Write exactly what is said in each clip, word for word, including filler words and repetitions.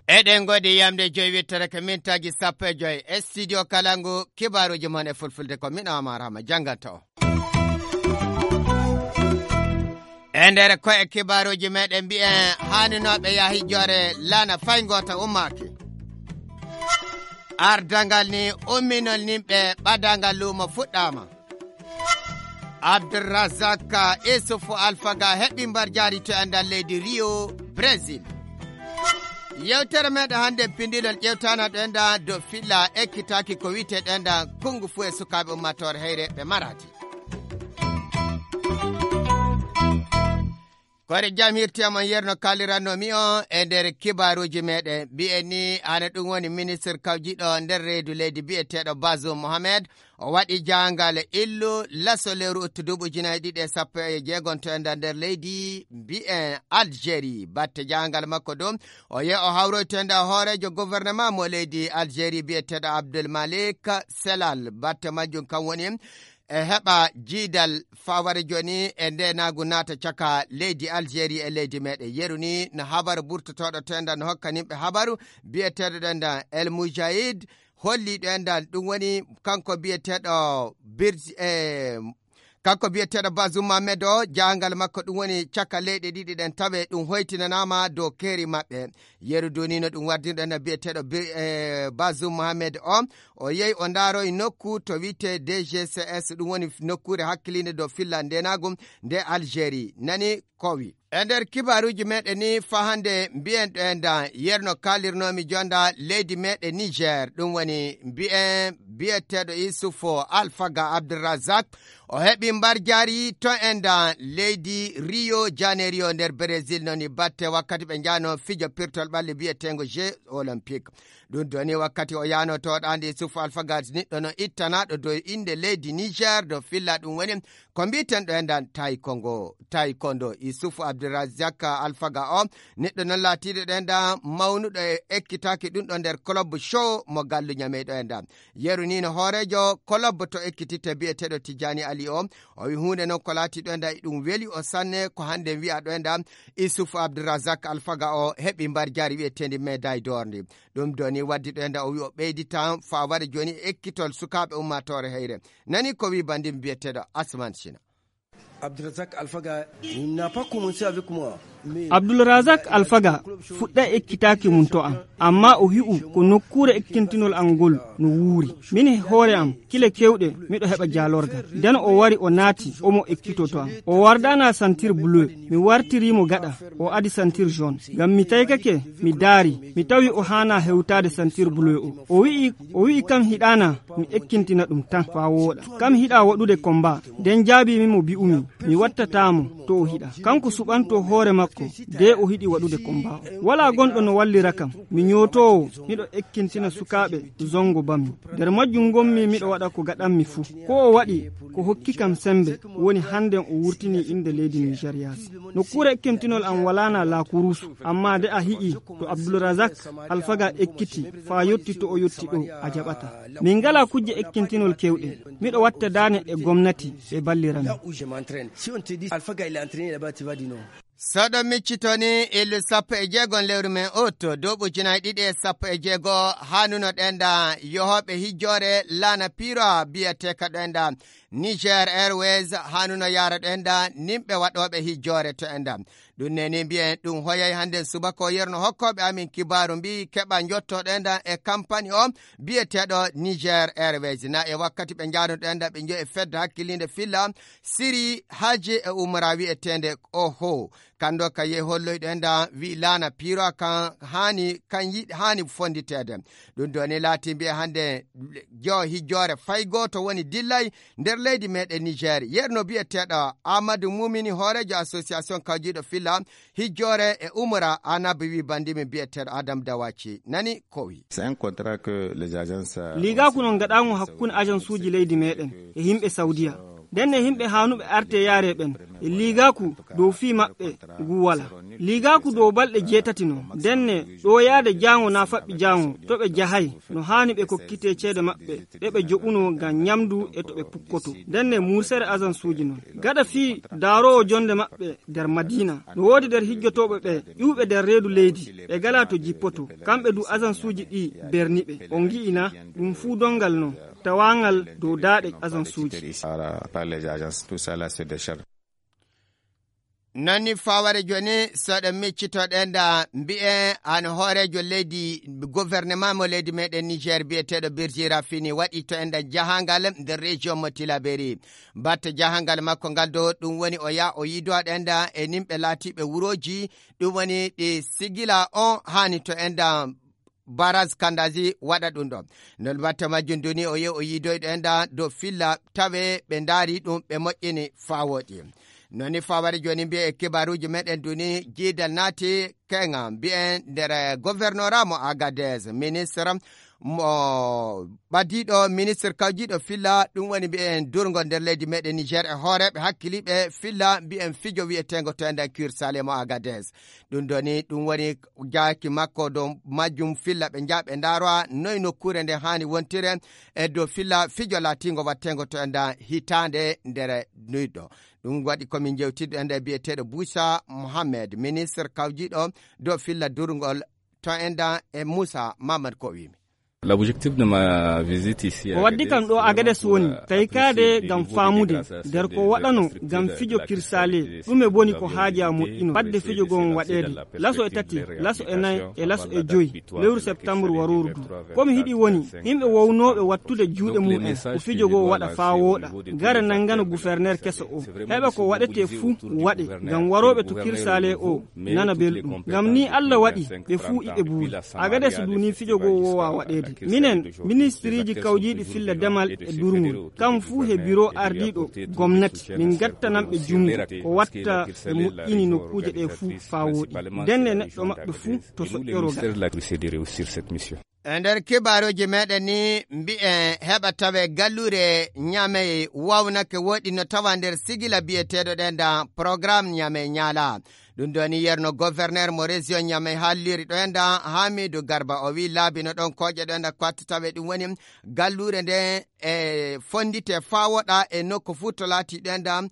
Eɗen ngoodi yamde joyi wittere ko mintaaji sappo e joyi e studio Kalangu, kibaaruuji mon e fulfulde ko min Amar Hama jannganta o. E nder ko e kibaaruuji meɗen mbiyen haaninooɓe yaa hijjoore laana fay ngoota ummaaki. Ardangal ni umminol nimɓe ɓadangal luumo fuɗɗaama. Abdulrazak Isuf Alfaga heɓi mbar jaari to e nder leydi Rio, Brésil. Yewtere meɗen hannde pindilol ƴewtana ɗo enda dow filla ekkitaaki ko wiyetee ɗo enda kongu fu e sukaaɓe ummatore heyre ɓe marati. Kore jam hirti am on yerno kaliranno mi on e nder kibaaruuji meɗen. Mbiyen ni hana ɗum woni ministre kawjiɗo nder reedu leydi biyeteeɗo Bazoum Mohamed. O waɗi jahangal illu laso lewru uttu duuɓi ujunaaji ɗiɗi e sappo e jeegom to enda nder leydi mbiyen Algérie. Batte jahangal makko ɗum, o yehi o hawroy to enda hooreejo gouvernement mo leydi Algérie biyeteeɗo Abdul Malik Selal. Batte majjum kam woni e heɓa jiidal faware jooni e ndenaagu naata caka leydi Algérie e leydi meɗen. Yeru ni no habaru burtotooɗo to enda no hokka nimɓe habaru biyeteeɗo ɗo enda El Moujahid holli ɗo enda ɗum woni kanko biyeteeɗo Birj-, e, kanko biyeteeɗo Bazoum Mohamed o, jahangal makko ɗum woni caka leyɗe ɗiɗi ɗen tawe ɗum hoytinanaama dow keeri maɓɓe. Yeru duni no ɗum wardino ɗo enda biyeteeɗo Bi-, e, Bazoum Mohamed o, o yehi o ndaaroyi nokku to wiyetee D G C S, ɗum woni nokkuure hakkiliinde dow filla ndenaagu nde Algérie. Nani kowi. E nder kibaaruuji meɗen ni faa hannde mbiyen ɗo enda yerno kaalirnoomi jonda leydi meɗen Niger, ɗum woni mbiyen biyeteeɗo Issoufou Alfaga Abdulrazak, o heɓi mbar jaari to enda leydi Rio Janeiro nder Brésil, noni batte wakkati ɓe njano fijo pirtol ɓalli biyeteengo Jeux Olympiques. Ɗum doni wakkati o yano to ɗaande Issoufou Alfaga niɗɗo no ittanaaɗo dow innde leydi Niger dow filla ɗum woni ko mbiiten ɗo enda taekwondo, taekwondo. Issoufou Abdulrazak Alfaga o, neɗɗo noon laatiiɗo ɗo enda mawnuɗo e ekkitaaki ɗum ɗo nder club show mo gallu ñamey ɗo enda. Yeru ni no hooreejo club to ekkititte biyeteeɗo Tijjani Ali o, o wi huunde noon ko laati ɗo enda e ɗum weli o sanne ko hannde wi'a ɗo enda Issoufou Abdulrazak Alfaga o heɓi mbar jaari wiyeteendi médaille d'or ndi. Ɗum doni waddi ɗo enda o wi o ɓeyditan faa waɗa jooni ekkitol sukaaɓe ummaatoore heyre. Nani ko wi banndi biyeteeɗo Asman Sina. Abdulrazak Alfaga, il n'a pas commencé avec moi. Abdulrazak Alfaga fuɗɗa ekkitaaki mum to am, amma o hi'u ko nokkuure ekkintinol am ngol no wuuri. Min e hoore am, kile kewɗe miɗo heɓa jaalorgal. Nden o wari o naati, omo ekkito to am. O wardaana sentir bleu, mi wartirii mo gaɗa, o adi sentir jaune. Ngam mi taykake, mi daari, mi tawi o haana hewtaade sentir bleu o. O wi'i, o wi'i kam hiɗaana, mi ekkintina ɗum tan faa wooɗa. Kam hiɗa waɗude komba. Nden jaabii mi mo bi'umi, mi wattataa mo to o hiɗa. Kanko suɓanto hoore makko, de o hiɗi waɗude komba o. Walaa gonɗo no wallira kam. Mi ñootoowo, miɗo ekkintina sukaaɓe zongo bammi. Nder majjum ngonmi miɗo waɗa ko gaɗanmi fuu. Ko o waɗi, ko hokki kam sembe, woni hannden o wurtinii innde leydi Nijeriya. Nokkuure ekkintinol am walaana laakuruusu, amma de a hi'i to Abdulrazak Alfaga ekkiti faa yotti to o yotti ɗo, a jaɓataa. Min ngalaa kujje ekkintinol kewɗe. Miɗo watta daane e gomnati ɓe ballira min. Là où je m'entraîne. Si on te dit, Alpha Gaye, il est entraîné là-bas, tu vas dire non. So ɗo miccito ni, illu sappo e jeegom lewru men août, duuɓi ujunaaji ɗiɗi e sappo e jeego, haanuno ɗo enda yohooɓe hijjoore laana piiro biyeteeka ɗo enda Niger Airways, haanuno yaara ɗo enda nimɓe waɗooɓe hijjoore to enda. Ɗum neni mbiyen ɗum hoyay hannden subaka o yerno hokkooɓe amin kibaaru mbi keɓa njotto ɗo enda e kampani o biyeteeɗo Niger Airways. Na e wakkati ɓe njaano ɗo enda ɓe njoyi e fedde hakkiliinde filla siri haaji e umra wiyeteende oho. Kanndo ka yehi holloy ɗo enda wi laana piiro kan haani, kan yiɗi, haani fonnditeede. Ɗum ɗo ni laati mbiye hannde jo hijjoore fay gooto woni dillay nder leydi meɗen Niger. Yerno biyeteeɗo Amadou Moumini, hooreejo association kawjiiɗo filla hijjoore e umra, Anab wi bandimi biyeteeɗo Adam Dawaci. Nani ko wi. C'est un contrat que les agences, euh, Liigaaku non gaɗaango hakkunde agence uji leydi meɗen e yimɓe Saudiya. Ndenne yimɓe haanuɓe arte yaare ɓen, e liigaaku dow fii maɓɓe ngu wala. Liigaaku dow balɗe jeetati non. Ndenne ɗoyaade jaango naa faɓɓi jaango, to ɓe jahay, no haani ɓe kokkitee ceede maɓɓe, ɗe ɓe joɓunoo ngam ɲamndu e to ɓe pukkoto. Ndenne muursere ajansuuji non. Gaɗa fii daaroowo jonnde maɓɓe nder Madiina. No woodi nder hijjotooɓe ɓe, ƴuwɓe nder reedu leydi, ɓe galaa to jippoto. Kamɓe du ajansuuji ɗi berni ɓe. On ngi'i na, ɗum fuu donngal non, tawaangal dow daaɗe ajansuuji. Par les agences, tout ça là, c'est des charges. Non ni faware jooni, so ɗen miccito ɗen da mbi'en an hooreejo leydi, gouvernement mo leydi meɗen Niger bi'eteeɗo Birjira Fini waɗi to en da jahangal nder région mo Tilaberi. Batte jahangal makko ngal do ɗum woni o ya o yiido ɗen da e nimɓe laatiiɓe wurooji, ɗum woni ɗi sigila on haani to en da Baraz Kandazi waɗa ɗum ɗo. Non batte majjum duni o yehi o yiidoyɗo en da dow filla tawe ɓe ndaari ɗum ɓe moƴƴini faa wooɗi. Non ni faware jooni mbi'e e kibaruuji meɗen duni jiidal naati kenga mbi'en nder gouvernorat mo Agadez. Ministre mo ɓadiiɗo, ministre kawjiiɗo filla, ɗum woni mbi'en durngol nder leydi meɗen Niger e hooreeɓe hakkiliiɓe filla mbi'en fijo wi'eteengo to enden Cursale mo Agadez. Ɗum ɗo ni, ɗum woni jaaki makko dow majjum filla ɓe njaha ɓe ndaara noy nokkuure nde haani wontire e dow filla fijo laatingo watteengo to enda hitaande nder nuyɗo. Ɗum waɗi ko min jewtiɗo enda e biyeteeɗo Busa Mohammed, ministre kawjiiɗo dow filla durngol to enda e Musa Mamad ko o wiimi. L'objectif de ma visite ici à Ko waddi kam ɗo Agades woni taykaade ngam faamude nder ko waɗano ngam fijo kirsale, ɗume boni ko haaja moƴƴino fadde fijo gon waɗeede, laso e tati, laso e nayi e laso e joyi lewru septembre warooru du. Ko mi hiɗi woni yimɓe wownooɓe wattude juuɗe mum en ko fijo goo waɗa faa wooɗa, gara nanngana guferneer keso o, heɓa ko waɗetee fuu waɗe ngam warooɓe to kirsale o nana belɗum. Ngam nii Alla waɗi ɓe fuu iɓe buuli. Agades du nii fijo goo woowaa waɗeede. Minen, ministiriiji kawjiiɗi filla demal e durngol, kam fuu he biro ardiiɗo gomnati, min ngattananɓe junngo ko watta ɓe moƴƴini nokkuuje ɗee fuu faa wooɗi. Ndenne neɗɗo maɓɓe fuu to soƴƴoroo gaɗa. E nder kibaaruuji meɗen ni mbi'en heɓa tawe galluure Ɲamey wawnake woɗi no tawa nder sigila biyeteeɗo ɗen da programme Ɲamey Ɲaala. Ɗum ɗo ni yerno gouverneur mo région Ɲamey haalliri ɗo en da Hamidu Garba o wi laabi no ɗon kooƴe ɗo en da ko watta tawe ɗum woni galluure nde e fonndite faa woɗa e nokku fuu to laati ɗo en da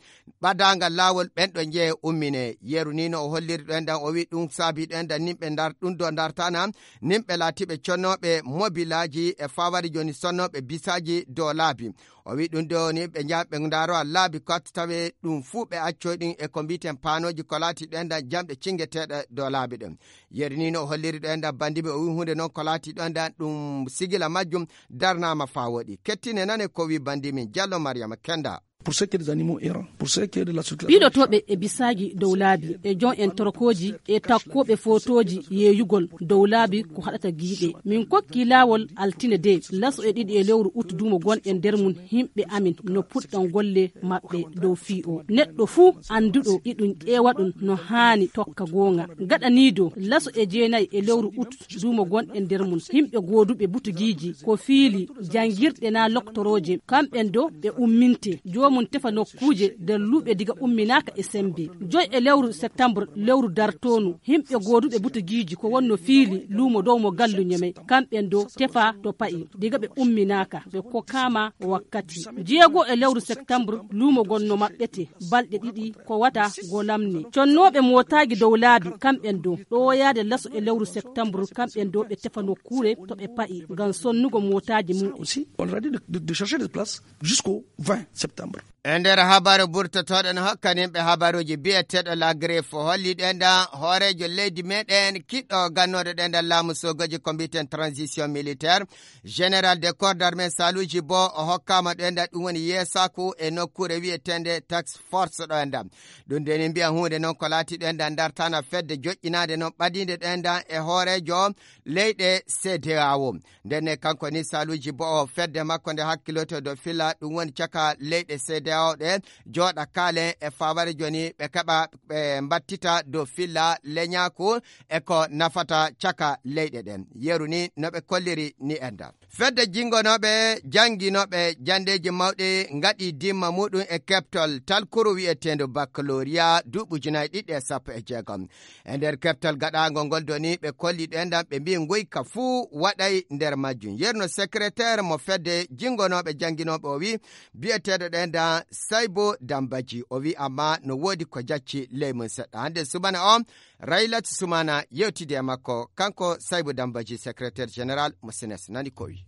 ɓadaangal laawol ɓen ɗo njeye ummine. Yeru ni no o holliri ɗo en da o wi ɗum saabi ɗo en da nimɓe ndar ɗum do ndartana nimɓe laatiiɓe connooɓe mobilaaji e faawari jooni sonnooɓe bisaaji dow laabi. O wi ɗum ɗo ni ɓe njaha ɓe ndaaro laabi ko watta tawe ɗum fuu ɓe accoy ɗum e ko mbiiten paanooji ko laati ɗo en da jamɗe cingeteeɗe dow laabi ɗen. Yeru ni no o holliri ɗo en da bandiiɓe o wi huunde noon ko laati ɗo en da ɗum sigila majjum darnaama faa wooɗi. Kettine nane ko wi bandiimin Jallo Mariama Kenda. Pour ce qui est des animaux errants, pour ce qui est de la circulation. Piilotooɓe e bisaaji dow laabi, e jon en torokooji, e takkooɓe footooji yeeyugol dow laabi ko haɗata giiɗe. Min kokki laawol altine de, laso e ɗiɗi e lewru ut duumo gonɗen nder mum, yimɓe amin no puɗɗan golle maɓɓe dow fii o. Neɗɗo fuu annduɗo iɗum ƴeewa ɗum no haani tokka goonga. Gaɗaniido laso e jeenayi e lewru ut duumo gonɗen nder mum, yimɓe gooduɓe butugiiji ko fiili janngirɗe naa loktorooje, kamɓen do ɓe umminte. Joomum tefa nokkuuje nder luuɓe diga umminaaka e semmbe. Joy e lewru septembre, lewru dartoonu, yimɓe gooduɓe butugiiji ko wonno fiili luumo dow mo gallu Ɲamey, kamɓen do tefa to pa'i diga ɓe umminaaka, ɓe kokkaama wakkati. Jeego e lewru septembre, luumo gonno maɓɓete balɗe ɗiɗi ko wata go lamni. Connooɓe mootaaji dow laabi, kamɓen do ɗowoyaade laso e lewru septembre, kamɓen do ɓe tefa nokkuure to ɓe pa'i ngam sonnugo mootaaji mum en. Aussi, on leur a dit de, de, de chercher des places jusqu'au vingt septembre. E nder habaru burtotooɗo no hokkaninɓe habaruuji biyeteeɗo La Griffe holli ɗen da hooreejo leydi meɗen kiɗɗo gannoɗo ɗen da laamu sogoji ko mbiiten transition militaire. Général de corps d'armée Saluji bo o hokkaama ɗo enda ɗum woni yeesaaku e nokkuure wi'eteende task force ɗo enda. Ɗum de ni mbiya huunde noon ko laati ɗo enda dartana fedde joƴƴinaande noon ɓadiinde ɗo enda e hooreejo leyɗe C D A O. Ndenne kanko ni Saluji bo o fedde makko nde hakkiloto do fila ɗum woni caka leyɗe cedeao ɗe jooɗa kaalen e faabare jooni ɓe keɓa ɓe mbattita dow filla leñaaku e ko nafata caka leyɗe ɗen. Yeru ni no ɓe kolliri ni enɗan. Fedde jinngonooɓe jannginooɓe janndeeji mawɗi ngaɗi dimma muɗum e keɓtol talkuru wi'eteendu baccalauréat duuɓi ujunaaji ɗiɗi e sappo e jeegom. E nder keɓtol gaɗaangol ngol doni ɓe kolli ɗo enɗan ɓe mbii nguyka fuu waɗay nder majjum. Yerno secrétaire mo fedde jinngonooɓe jannginooɓe o wii bi'eteeɗo ɗo enɗan Saybo Dambaji o wii amma no woodi ko jacci ley mum seɗɗa. Hannde subana o Raylat Sumana yewtidi e makko, kanko Saybu Dambaji, secrétaire général mo senes, nani ko wi.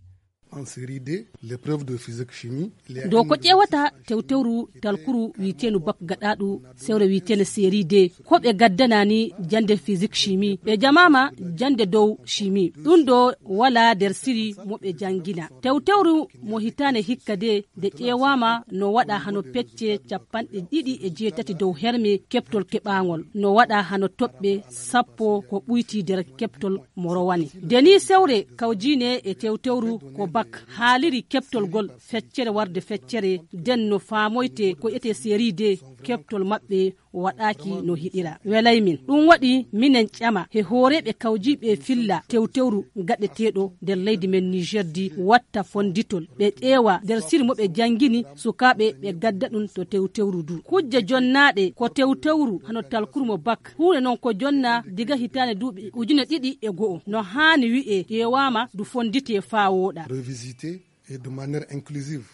En série D, l'épreuve de physique chimie. Dow ko ƴeewata tewtewru talkuru wi'eteendu bak gaɗaaɗu sewre wi'eteende série D, ko ɓe gaddanani jannde physique chimie, ɓe jamaama jannde dow chimie. Ɗum ɗo walaa nder siri mo ɓe janngina. Tewtewru mo hitaande hikka de nde ƴeewaama no waɗa hano pecce capanɗe ɗiɗi e jeetati dow herme keɓtol keɓaangol, no waɗa hano toɓɓe sappo ko ɓuyti nder keɓtol mo rowani. Nde ni sewre kawjiine e tewtewru ko bak haaliri keɓtol gol feccere warde feccere, nden no faamoyte ko etee série D keɓtol maɓɓe waɗaaki no hiɗira. Welay min. Ɗum waɗi minen ƴama he hooreeɓe kawjiiɓe filla tewtewru gaɗeteeɗo nder leydi men Niger di watta fonditol. Ɓe ƴeewa nder siri mo ɓe janngini sukaaɓe ɓe gadda ɗum to tewtewru du. Kujje jonnaaɗe ko tewtewru hano talkuru mo bak. Huunde non ko jonna diga hitaande duuɓi ujune ɗiɗi e go'o. No haani wi'e ƴeewaama du fonditee faa wooɗa. Revisité et de manière inclusive.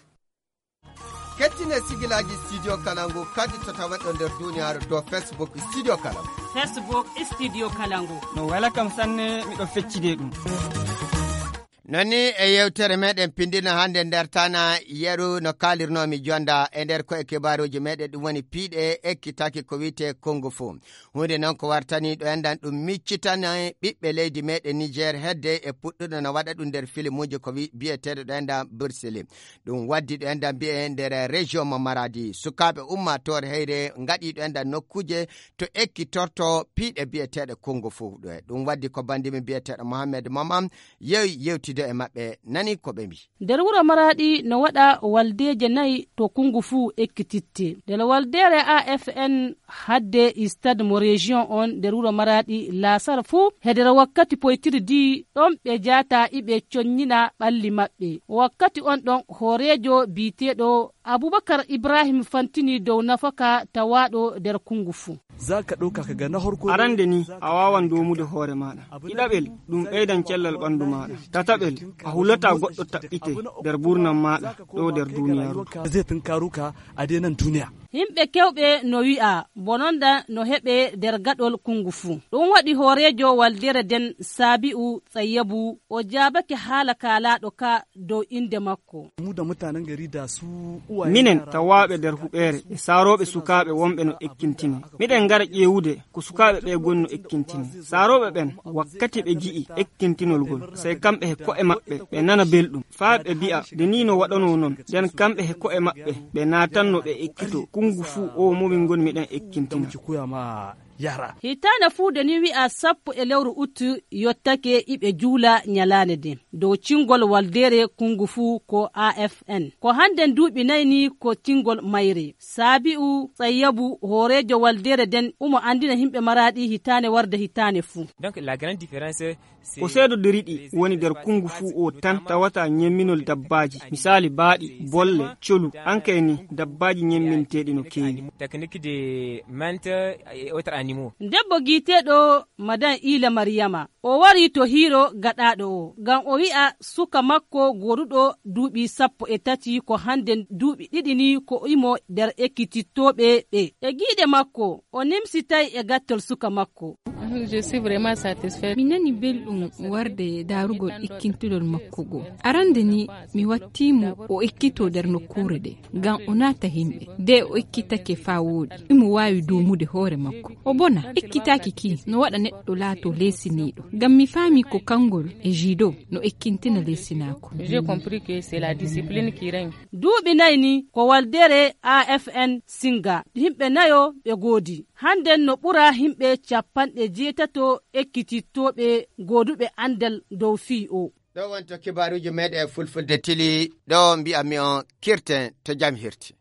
Kettine sigilaaji Studio Kalangu kadi to taweɗo nder duniyaaru to Facebook Studio Kalangu. Facebook Studio Kalangu. No wela kam sanne, miɗo feccide ɗum. Non ni e yewtere meɗen pindino hannde nder tana yeru no kaalirnoomi jonda e nder ko'e kibaaruuji meɗen ɗum woni piiɗe ekkitaki ko wi'etee Kung Fu. Huunde non ko wartani ɗo enɗan ɗum miccitana ɓiɓɓe leydi meɗen Niger hedde e puɗɗuɗo no waɗa ɗum nder filimuuji ko wi-, bi'eteeɗo ɗo enɗan Bruce Lee. Ɗum waddi ɗo enɗan mbi'e nder région mo Maradi. Sukaaɓe ummaatoore heyre ngaɗi ɗo enɗan nokkuuje to ekkitorto piiɗe bi'eteeɗe Kung Fu ɗo e. Ɗum waddi ko bandimi bi'eteeɗo Mohamed Maman yewi yewtido e maɓɓe nani ko ɓe mbi. Nder wuro Maradi no waɗa waldeeje nayi to Kung Fu ekkititte. Nder waldeere A F N hadde stade mo région on nder wuro Maradi laasara fuu, he nder wakkati poytirdi ɗon ɓe jaata iɓe conyina ɓalli maɓɓe. Wakkati on ɗon hooreejo biiteeɗo Abubakar Ibrahim fantini dow nafaka tawaaɗo nder Kung Fu. Za ka ɗauka ka ga na harko. Arande ni, a waawan doomude hoore maaɗa. Ɗiɗaɓel, ɗum ɓeydan cellal ɓandu maaɗa. Tataɓel, a hulataa goɗɗo taɓɓite nder buurnam maaɗa ɗo nder duniyaaru. Zai tunkaro ka a dai nan duniya. Yimɓe kewɓe no wi'a bononda no heɓe nder gaɗol Kung Fu. Ɗum waɗi hooreejo waldeere nden Sabi'u Tsayyabu o jaabake haala kaalaaɗo ka dow innde makko. Mu da mutanen gari da su uwaye. Minen yara tawaaɓe nder huɓeere e saarooɓe sukaaɓe wonɓe no ekkintinee. Miɗen ngara ƴeewude ko sukaaɓe ɓe goni no ekkintinee. Saarooɓe ɓen, wakkati ɓe ji'i ekkintinol ngol, sey kamɓe he ko'e maɓɓe ɓe nana belɗum. Faa ɓe bi'a, nde nii no waɗanoo non, nden kamɓe he ko'e maɓɓe ɓe naatanno ɓe ekkitoo. Kung Fu o mo min ngoni miɗen ekkintina. Yara. Hitaande fuu nde ni wi'a sappo e lewru ut yottake iɓe juula nyalaande nden. Dow cingol waldeere Kung Fu ko A F N. Ko hannden duuɓi nayi ni ko cingol mayre. Sabi'u Tsayyabu, hooreejo waldeere nden, umo anndina yimɓe Maradi hitaande warde hitaande fuu. Donc, la grande différence, Ko seedodiri ɗi woni nder Kung Fu o tan tawata ñemminol dabbaaji, misaali baaɗi, bolle, colu, ankay ni dabbaaji ñemminteeɗi no keewi. Technique de mente et autres animaux. Debbo giiteeɗo Madan Ila Mariyama, o wari to hiiro gaɗaaɗo o, ngam o wi'a suka makko gooduɗo duuɓi sappo e tati ko hannden duuɓi ɗiɗi ni ko imo nder ekkitittooɓe ɓe. E giiɗe makko, o nimsitay e gattol suka makko. Je suis vraiment satisfait. Mi nani belɗum warde daarugol ekkintinol makko go. Arande ni mi watti mo o ekkito nder nokkuure ɗe, ngam o naata himɓe. De o ekkitake faa wooɗi, imo waawi doomude hoore makko. O bona, ekkitaaki ki no waɗa neɗɗo laato leesiniiɗo. Ngam mi faami ko kangol e judo no ekkintina leesinaaku. J'ai compris que c'est la discipline qui règne. Duuɓi nayi ni ko waldere A F N Singa. Yimɓe nayo ɓe goodi. Hannden no ɓura yimɓe capanɗe jeetato ekkitittooɓe gooduɓe anndal dow fii o. Ɗo wonto kibaaruuji meeɗen e fulfulde tili, ɗo mbi'anmi on kirten to jam hirti.